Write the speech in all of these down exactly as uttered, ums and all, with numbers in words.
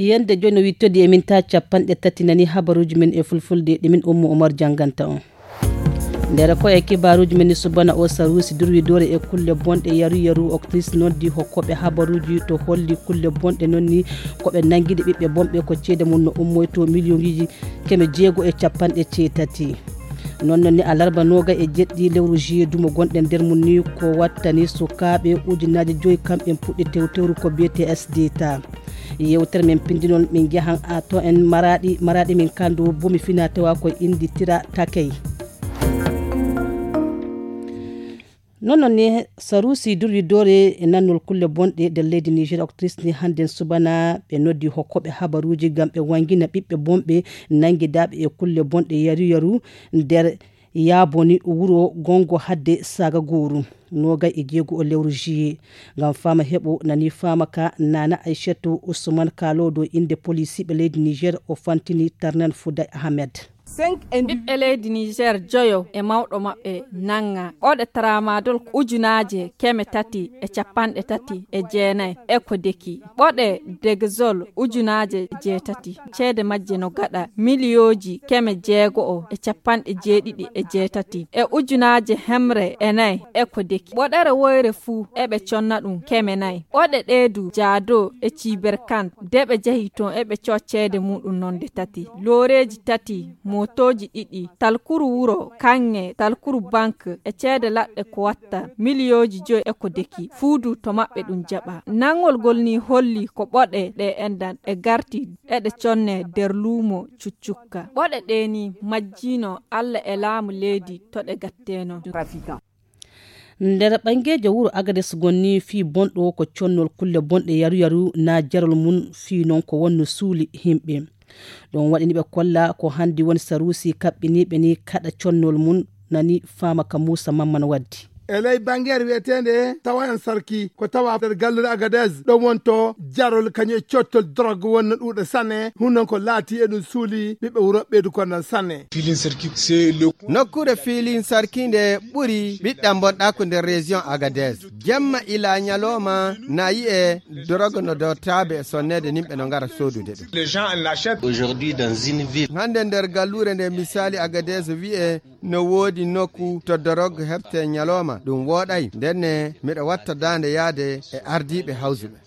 Yande jooni no wittodi e minta capanɗe tati nani habaruuji men e fulfulde ɗi min Ummu Umar jannganta on. Nder ko e kibaaruuji men subana o saruusi durwidoore e kulle bonɗe yaru yaru octrice noddi hokkoɓe habaruuji to holli kulle bonɗe noon ni ko ɓe nanngiɗe ɓiɓɓe bonɓe ko ceede mum no ummoyto miliyonji keme jeego e capanɗe ceetati. Noon noon ni alarba nooga e jeɗɗi lewru juillet dumo gonɗen nder mum ni ko wattani sukaaɓe ujunaaji joyi kamɓe puɗɗi tewtewru ko B T S D ta. Yewtere men pinndinol min njahan a to en maraɗi maraɗi min kandu bumi fina tawa ko indi tira takey. Noon noon ni sarusi durwidoore e nannol kulle bonɗe nder leydi niger octrice ni hannden subana ɓe noddi hokkoɓe habaruuji ngam ɓe wangina ɓiɓɓe bonɓe nanngidaaɓe e kulle bonɗe yaru yaru nder yaaboni wuro gongo hadde saga gooru. Noogay e jeego o lewru juillet ngam fama heɓo nani fama ka nana aysatu usman kalodo inde polisiɓe leydi niger o fantini tarnan fuday ahmed. Ɓiɓɓe leydi niger joyo e mawɗo maɓɓe nanga ɓoɗe tramadol ujunaaje keme tati e capanɗe tati e jeenayi e ko deki ɓoɗe degzol ujunaaje jeetati ceede majje no gaɗa miliyooji keme jeego'o e capanɗe jeeɗiɗi e jeetati e ujunaaje hemre e nayi e ko deki ɓoɗere woyre fuu eɓe conna ɗum keme nayi ɓoɗe ɗeedu jaado e ciiberkan de ɓe jehi toon eɓe coo ceede muɗum nonde tati looreeji tati mootooji ɗiɗi talkuru wuro kaŋŋe talkuru bank e ceede laɗɗe ko watta miliyooji joyi e ko deki fuudu to maɓɓe ɗum jaɓa nanngol ngol ni holli ko ɓoɗe ɗe enɗan ɗe garti eɗe conne nder luumo cuccukka ɓoɗe ɗe ni majjiino allah e laamu leydi to ɗe gatteno. Nder ɓanngeejo wuro agades gonni fii bonɗo ko connol kulle bonɗe yaru yaru na jarol mum fii noon ko wonno suuli yimɓe. Ɗum waɗini ɓe kolla ko hanndi woni saruusi kaɓɓiniiɓe ni kaɗa connol mum nani faama ka muusa mamman waddi. E ley banngeere wiyeteende tawa en sarki ko tawa nder gallure agades ɗo wonto jarol kañum e cottol drogue wonno ɗuuɗa sanne hun noon ko laati e ɗum suuli ɓiɓɓe wuro ɓeydu konnan sanne. Nokkuure fiilin sarki nde ɓuri ɓiɗɗa bonɗa ko nder région agades jemma ila ñalawma na yi'e drogue no dowtaabe e sonneede nimɓe no ngara soodude ɗum. Hannde nder galluure nde misali agades wi'e no woodi nokku to drogue heɓte ñalawma ɗum wooɗay ndenne miɗa watta daande yaade e ardiiɓe hawsuɓe.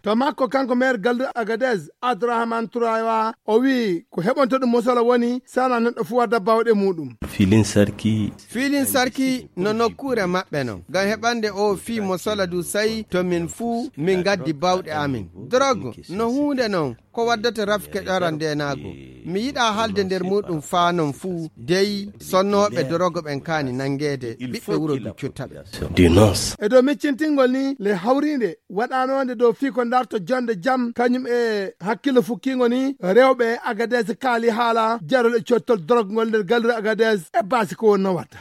To makko kanko maire galluure agades abdourahmane tourawa o wi'i ko heɓonto ɗum mosala woni sana neɗɗo fuu wadda bawɗe muɗum. Filin sarki no nokkuure maɓɓe non ngam heɓande o fii mosala du sai to min fuu min gaddi bawɗe amin. Drogue no huunde non ko waddata rafke ɗoran ndenaago. Mi yiɗa haalde nder muɗum faa non fuu dey sonnooɓe dorogo ɓen kaani nanngeede ɓiɓɓe wuro du cutta ɓe. E dow miccintingol ni le hawriinde waɗanoonde dow fii ko darto jonde jam kañum e hakkillo fukkiingo ni rewɓe agades kaali haala jarol e cottol dorogol nder gallure agades e baasi ko wonno watta.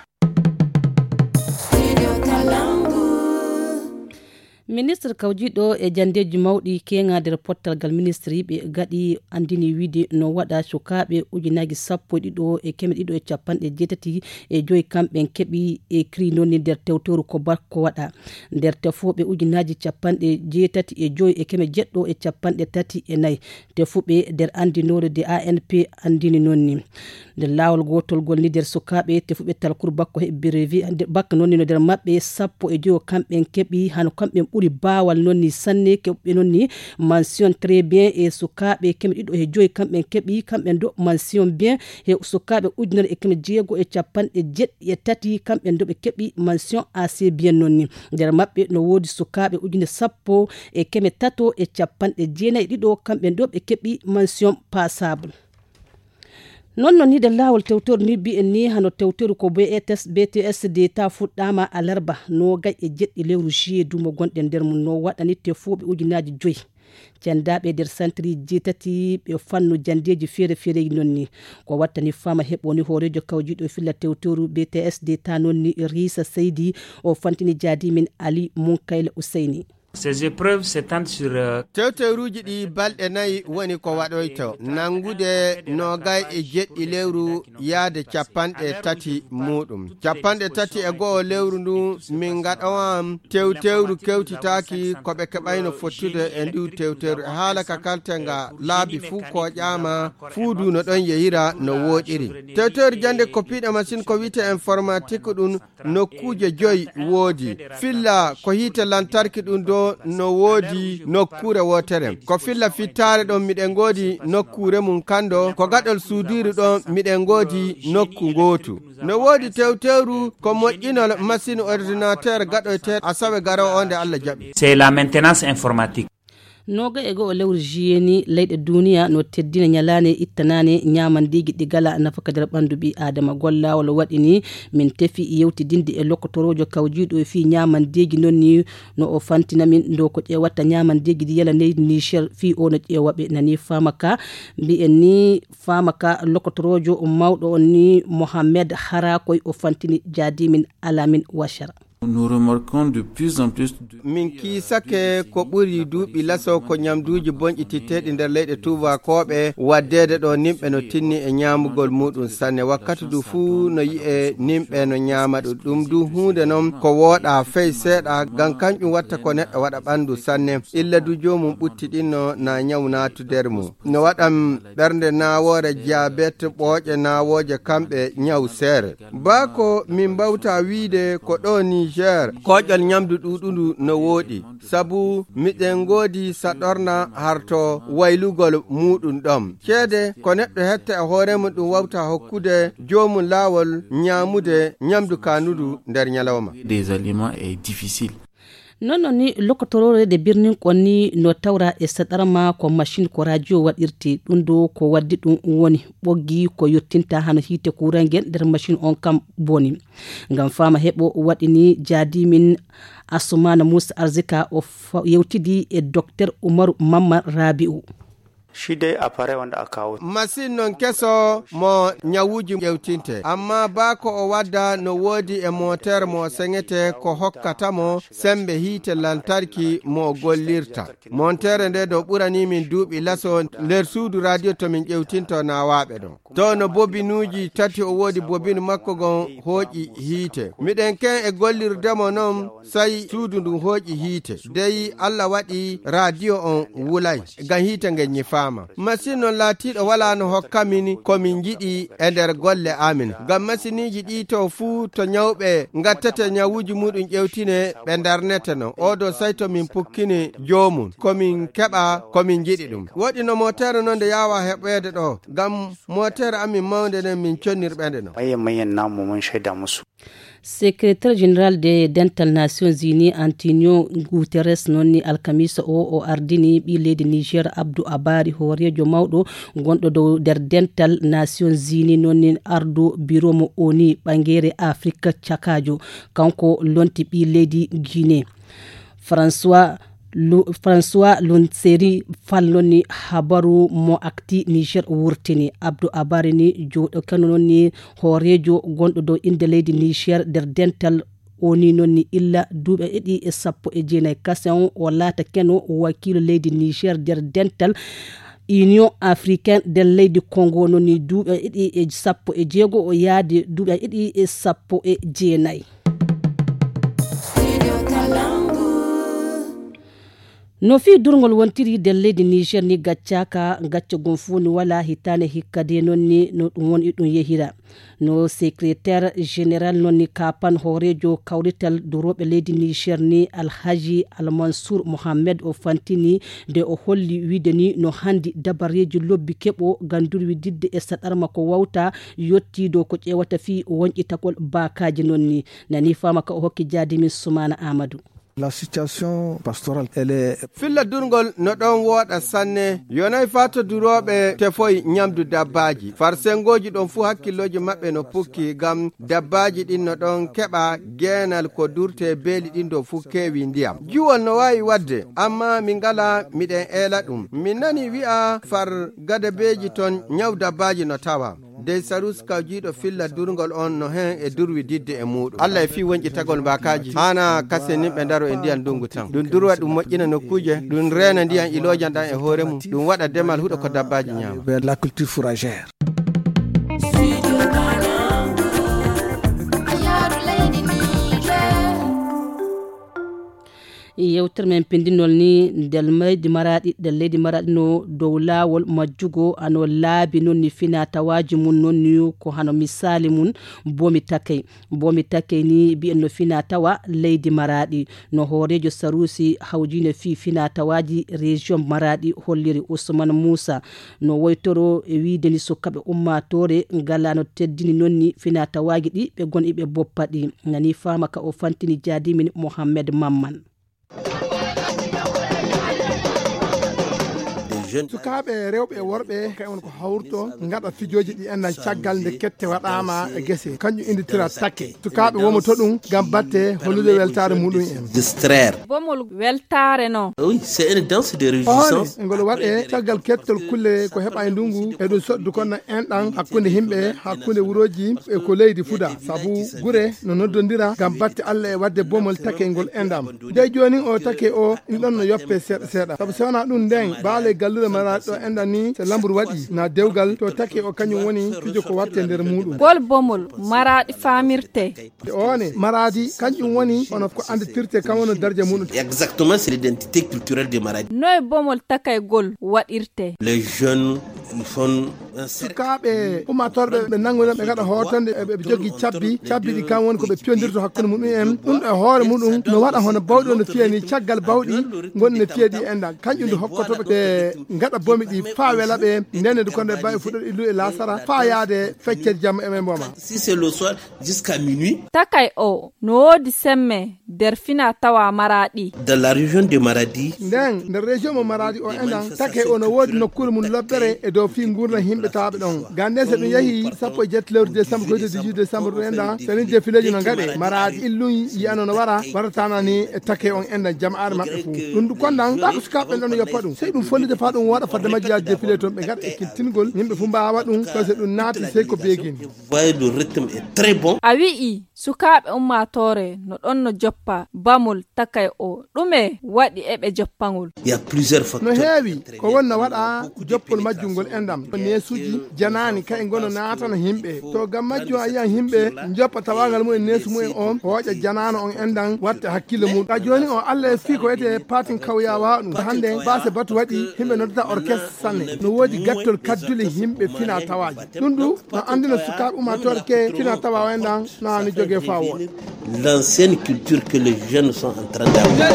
Ministre kawjiɗo e janndeeji mawɗi keeŋa nder pottal ngal ministre yiɓe gaɗi anndini wiide no waɗa sukaaɓe ujunaaji sappo e ɗiɗo e keme ɗiɗo e capanɗe jeetati e joyi kamɓen keɓi e kiri noon ni nder tewtoru ko bakko waɗa nder tefooɓe ujunaaji capanɗe jeetati e joyi e keme jeɗɗo e capanɗe tati e nayi tefuɓe nder anndinoore de A N P anndini noon ni. Nder laawol gootol ngol ni nder sukaaɓe tefuɓe talkuru bakko heɓi brevi bakka noon ni no nder maɓɓe sappo e joyo kamɓen keɓi hano kamɓen ɓuri baawal noon ni sanne keɓɓe noon ni mention très bien e sukaaɓe keme ɗiɗo e joyi kamɓen keɓi kamɓen do mention bien e sukaaɓe ujunere e keme jeego e capanɗe jeɗɗi e tati kamɓen do ɓe keɓi mention assez bien noon ni. Nder maɓɓe no woodi sukaaɓe ujune sappo e keme tato e capanɗe jeenayi ɗiɗo kamɓen do ɓe keɓi mention passable. Noon noon ni nder laawol tewtoru ni mbiyen ni hano tewtoru ko B T S D ta fuɗɗaama alarba noogay e jeɗɗi lewru juillet dumo gonɗen nder mum no waɗani tefuuɓe ujunaaji joyi cendaaɓe nder santiri jeetati ɓe fannu janndeeji feere feere noon ni ko wattani fama heɓoni hooreejo kawjiiɗo filla tewtoru B T S D ta noon ni Risa Seydi o fantini jaadi min Ali Munkayla Useyni. Ces épreuves s'étendent sur euh, tewtewruuji ɗi balɗe nayi woni ko waɗoyto, nanngude noogay e jeɗɗi lewru yaade capanɗe tati muuɗum. Capanɗe tati e go'o lewru ndu min ngaɗowan tewtewru kewtitaaki ko ɓe keɓayno fottude e ndu tewtewru. E haala ka kalten nga laabi fuu kooƴaama, fuu du no ɗon yehira no wooɗiri. Tewtewru jannde ko piiɗe machine ko wiyetee informatique ɗum, nokkuuje joyi woodi. Filla ko hiite lantarki ɗum do no woodi nokkuure wootere. Ko filla fittaare ɗon miɗen ngoodi nokkuure mum kando, ko gaɗol suudiiru ɗon miɗen ngoodi nokku ngootu. No woodi tewtewru ko moƴƴinol machine ordinateur gaɗoyte asawe garowo o nde Allah jaɓi. C'est la maintenance informatique. Nooga e go'o lewru juillet ni, leyɗe duniya no teddina ñalaane ittanaane ñaamandeeji ɗi gala nafaka nder ɓanndu ɓii aadama. Gollaawol waɗi ni min tefi yewtidinde e lokotorojo kawjiiɗo e fii ñaamandeeji non ni no o fantina min ndo ko ƴeewatta ñaamandeeji ɗi yala leydi Niger fii o no ƴeewa ɓe nani faama ka. Mbi'en ni faama ka lokotorojo mawɗo on ni Mohamed Harakoy o fantini jaadi min Alamin Washara. Nous remarquons de plus en plus de min kiisake ko ɓuri duuɓi laso ko ñamduuji bonƴititteeɗi nder leyɗe tuubakooɓe waddeede ɗo nimɓe no tinni e ñaamugol muɗum sanne. Wakkati du fuu no yi'e nimɓe no ñaama ɗum. Ɗum du huunde non ko wooɗa fey seeɗa, ngam kanƴum watta ko neɗɗo waɗa ɓanndu sanne. Illa du joomum ɓutti ɗinno na ñaw naatu nder mum. No waɗan ɓernde naawoore, jabet, ɓooƴe naawooje, kamɓe ñaw seere. Baa ko min mbawta wiide ko ɗo Niger, kooƴol ñamdu ɗuuɗundu no wooɗi, sabu miɗen ngoodi saɗorna harto waylugol muuɗum ɗon. Ceede ko neɗɗo hetta e hoore mum ɗum wawta hokkude joomum laawol ñaamude ñamdu kaanundu nder ñalawma. Des aliments est difficile. Non non ni lokotoroore de birnin kon ni no tawra e saɗarma ko machine ko radio waɗirte. Ɗum ɗo ko waddi ɗum woni ɓoggi ko yottinta hano hiite kurange nder machine on kam boni. Ngam faama heɓo waɗi ni jaadi min Assoumana Moussa Arzika o fa-, yewtidi e Docteur Umaru Mamman Rabi'u. Shi dai appareil wanda aka kawo. Masin non keso mo ñawuuji ƴewtinte, amma baa ko o wadda no woodi e moteur mo seŋete ko hokkata mo sembe hiite lantarki mo gollirta. Montere nde ɗo ɓurani min duuɓi laso nder suudu radio to min ƴewtinto naawaaɓe ɗon. To no bobinuuji tati o woodi, bobinu makko gon hooƴi hiite. Miɗen ken e gollirde mo non, sai suudu ndun hooƴi hiite. Dey Allah waɗi radio on wulay, ngam hiite ngen ñifaama. Masin non laatiiɗo walaa no hokka min ko min njiɗi e nder golle amin. Ngam masiniiji ɗi to fuu to ñawɓe ngattete ñawuuji muɗum ƴewtine, ɓe ndarnete non. Oo ɗo sai to min pukkini joomum, ko min keɓa ko min njiɗi ɗum. Woɗi no motere non nde yaawa heɓeede ɗo, ngam motere amin mawnde nden min connirɓe nde non. Manyan manyan namu mun shaida musu. Secrétaire général de dental Nations Unies Antonio Guterres non ni alkamisa o o ardini ɓii leydi Niger Abdou Abari, hooreejo mawɗo gonɗo dow nder dental Nations Unies non ni ardo biro mo oni ɓangere Afrique cakajo. Kanko lonti ɓii leydi Guinée. François Lu-, François Lunseri Fall non ni habaru mo akti Niger wurtini. Abdou Abari ni jooɗo kano non ni hooreejo gonɗo dow innde leydi Niger nder dental. O ni non ni illa duuɓi ɗiɗi e sappo e jeenayi kasen o laata keno wakiilo leydi Niger nder dental Union Africaine nder leydi Congo non ni duuɓi ɗiɗi e sappo e jeego o yaadi duuɓi ɗiɗi e sappo e jeenayi. No fii durngol wontiri nder leydi Niger ni gaccaka, gacca gon fuu ni wala hitaande hikka de non ni no ɗum woni ɗum yehira. No secrétaire général non ni kapan hooreejo kawrital durooɓe leydi Niger ni Alhaji Almansour Mohamed o fantini de o holli wiide ni no handi dabareeji lobbi keɓo ngam durwididde e saɗarma ko wawta yotti dow ko ƴeewata fii wonƴitagol baakaaji non ni. Nani faama ka o hokki jaadi min Sumaana Amadou. La situation pastorale, elle est filla durngol no ɗon wooɗa sanne. Yonay faa to durooɓe tefoy ñamdu dabbaaji. Far sengooji ɗon fuu hakkillooji maɓɓe no pukki ngam dabbaaji ɗin no ɗon keɓa geenal ko durte beeli ɗin ɗo fuu keewi ndiyam. Juwol no waawi waɗde, amma min ngalaa miɗen eela ɗum. Min nani wi'a far gadabeeji ton ñaw dabbaaji no tawa. Dey Sarus kawjiiɗo filla durngol on no hen e durwi didde e muuɗum. Allah e fii wonƴitagol mbaakaaji, haana kaseninɓe ndaro e ndiyan ndungu tan. Ɗum durwa ɗum moƴƴina nokkuuje, ɗum reena ndiyan iloojan ɗan e hoore mum, ɗum waɗa demal huɗo ko dabbaaji ñaama. Vers la culture fourragère. Yewtere men pindinol ni, nder leydi Maraɗi, nder leydi Maraɗi no dow laawol majjugo, ano laabi non ni fina tawaaji mum non ni ko hano misaali mum Bomi Takey. Bomi Takey ni bi'en no fina tawa leydi Maraɗi. No hooreejo Saruusi hawjiine fii fina tawaaji région Maraɗi holliri Usman Muusa. No woytoro e wiide ni sukaɓe ummaatoore ngala no teddini non ni fina tawaaji ɗi ɓe gon iɓe boppa ɗi. Nani faama ka o fantini jaadimin Mohammed Mamman. Sukaaɓe rewɓe e worɓe kay on ko hawrto ngaɗa fijooji ɗi enɗan caggal nde kette waɗaama e gese. Kanƴum innditira takke. Sukaaɓe womo to ɗum ngam batte hollude weltaare muɗum en. Distraire. Bomol weltaare no. Oui, c'est une danse de réjouissance. Hoore, ngol waɗe caggal kettol kulle ko heɓa e ndungu, e ɗum soddu kono enɗan hakkunde himɓe, hakkunde wurooji e ko leydi fuda. Sabu gure no noddondira ngam batte Allah e waɗde bomol take ngol enɗam. Dey jooni o take o, in ɗon no yoppe seeɗa seeɗa. Sabu si wonaa ɗum nden, baale gallure Maraɗi ɗo enɗan ni, so lamburu waɗi, na dewgal, to take o kañum woni fijo ko watte nder muɗum. Gol bomol Maraɗi faamirte. One, Maraɗi, kanƴum woni, hono ko annditirte, kam woni darja muɗum. Exactement, c'est l'identité culturelle de Maraɗi. Noy bomol takaygol waɗirte? Les jeunes, ils font un cercle. Sukaaɓe, ummatorɓe, ɓe nanngu ɓe ngaɗa hootande, ɓe, ɓe jogi cabbi, cabbi ɗi kam woni ko ɓe piyondirta hakkunde muɗum en. Ɗum e hoore muɗum, no waɗa hono bawɗi no fiyani caggal bawɗi, ngon no fiyadi enɗan. Kanƴum ndu hokkoto ɓe ngaɗa bomi ɗi faa wela ɓe, ndenne ndu konde bawi fuɗɗo illu e lasara, faa yaade feccere jamma e men mboma. Si c'est le soir, jusqu'à minuit. Takay o, no woodi semme nder fina tawa Maraɗi. Dans la région de Maradi. Nden, nder région mo Maraɗi o enɗan, take o no woodi nokkuure mum lobbere e dow fii ngurndan himɓe tawaaɓe ɗon. Gande so ɗum yahi sappo e jetti lewru décembre, koyde dix-huit décembre ɗum enɗan, so ni défileji no ngaɗe, Maraɗi illum yiyano no wara, waratana ni e take on enɗan jama'aare maɓɓe fuu. Ɗum ɗum kondan, taa ko sukaaɓe ɓen ɗon yoppa ɗum. Sey ɗum follite faa ɗum waɗa fadde majji yaade défilé toon ɓe ngaɗa e kintingol, yimɓe fuu mbaawa ɗum, so se ɗum naati sey ko beegin. Voyez, le rythme est très bon. A wi'i, sukaaɓe ummaatoore no ɗon no joppa bamol takay o. Ɗume waɗi eɓe joppangol? Il y a plusieurs facteurs. No heewi ko wonno waɗa joppol majjum ngol enɗam. Neesuuji janaani kay ngono naatana yimɓe. To ngam majjum a yi'an yimɓe joppa tawaangal mumen neesu mumen on, hooƴa janaano on enɗan, watta hakkille mum. Ka jooni o Allah e fii ko wiyetee patin kawya waawa ɗum. Hannde baase batu waɗi, yimɓe noddata orchestre sanne. No woodi gattol kaddule yimɓe fina tawaaji. Ɗum ɗum no anndina sukaaɓe ummaatoore ke fina tawa o enɗan na ni jogee faa wooɗa. L'ancienne culture que les jeunes sont en train d'avoir.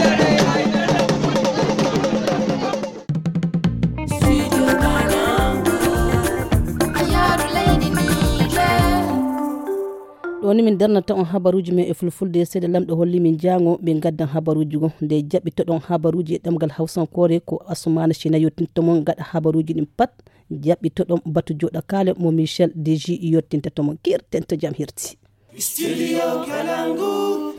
Ɗo ni min darnata on habaruuji men e fulfulde, seeɗa lamɗo holli min jaango min gaddan habaruuji go. Nde jaɓɓitoɗon habaruuji e ɗemgal hawsankoore ko Asumana Shina yottinto mon gaɗa habaruuji ɗin pat. Jaɓɓitoɗon batu joɗa kaale mo Michel Deji yottinta to mon. Kirten to jam hirti. Studio Kalangu.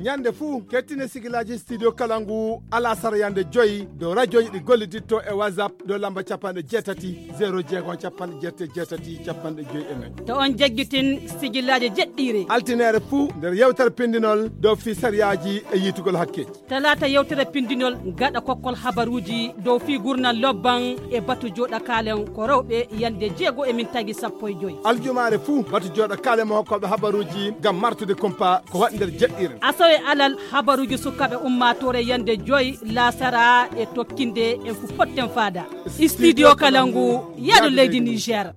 Ñande fuu, kettine sigilaaji Studio Kalangu, alasara yande joyi, dow radioji ɗi golliditto e WhatsApp, dow lamba capanɗe jeetati, zéro jeego, capanɗe jeetati, capanɗe joyi e nayi. To on jaggitin sigilaaji jeɗɗiire. Altineere fuu, nder yewtere pindinol, dow fii sariyaaji e yiitugol hakkeeji. Talaata yewtere pindinol gaɗa kokkol habaruuji dow fii gurnal lobban e batu joɗa kaalen ko rewɓe yande jeego e min tagi sappo e joyi. Aljumaare fuu batu joɗa kaalen mo hokkooɓe habaruuji ngam martude kumpa ko waɗi nder jeɗɗiire. Asawe alal habaruuji sukaaɓe ummaatoore yande joyi laasara e tokkinde en fu potten faada. Studio Kalangu, yaadu leydi Niger.